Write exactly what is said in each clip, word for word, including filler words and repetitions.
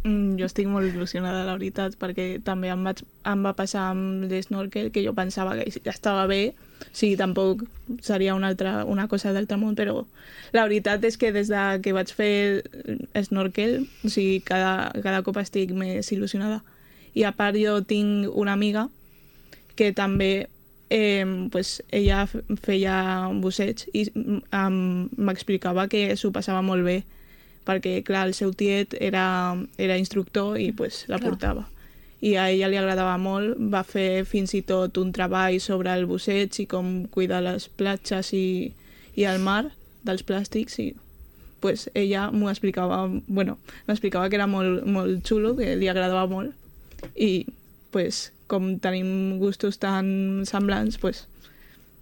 Mm, jo estic molt il·lusionada, la veritat, perquè també em, vaig, em va passar amb l'snorkel, que jo pensava que ja estava bé, sí, tampoc seria una, altra, una cosa d'altre món, però la veritat és que des de que vaig fer snorkel, o sigui, cada, cada cop estic més il·lusionada. I a part jo tinc una amiga que també eh, pues, ella feia busseig i um, m'explicava que s'ho passava molt bé, perquè, clar, el seu tiet era, era instructor i pues, la Clar. portava. I a ella li agradava molt, va fer fins i tot un treball sobre el busseig i com cuidar les platges i, i el mar dels plàstics i pues, ella m'ho explicava, bueno, m'explicava que era molt, molt xulo, que li agradava molt i pues, com tenim gustos tan semblants, pues,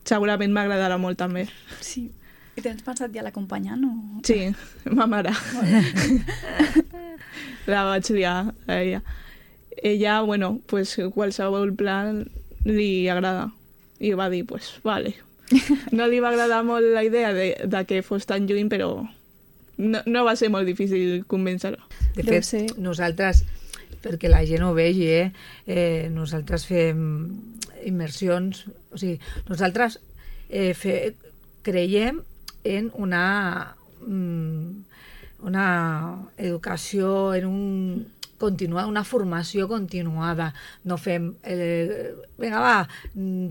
segurament m'agradarà molt també. Sí. I tens pensat ja l'acompanyant? O... Sí, ma mare. La vaig liar a ella. Ella, bueno, pues qualsevol plan li agrada. I va dir, pues, vale. No li va agradar molt la idea de, de que fos tan lluny, però no, no va ser molt difícil convèncer-ho. De Deu fet, ser. nosaltres, perquè la gent ho vegi, eh? Eh, nosaltres fem immersions, o sigui, nosaltres eh, fe, creiem en una, una educació, en un continuar, una formació continuada. No fem, eh, vinga va,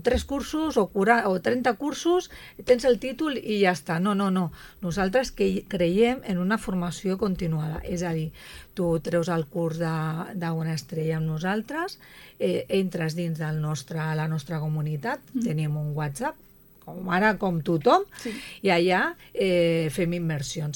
tres cursos o, cura, o trenta cursos, tens el títol i ja està. No, no, no. Nosaltres que creiem en una formació continuada. És a dir, tu treus el curs d'una estrella amb nosaltres, eh, entres dins del nostre, la nostra comunitat, mm. tenim un WhatsApp, com ara com tothom, sí. i allà eh, fem immersions.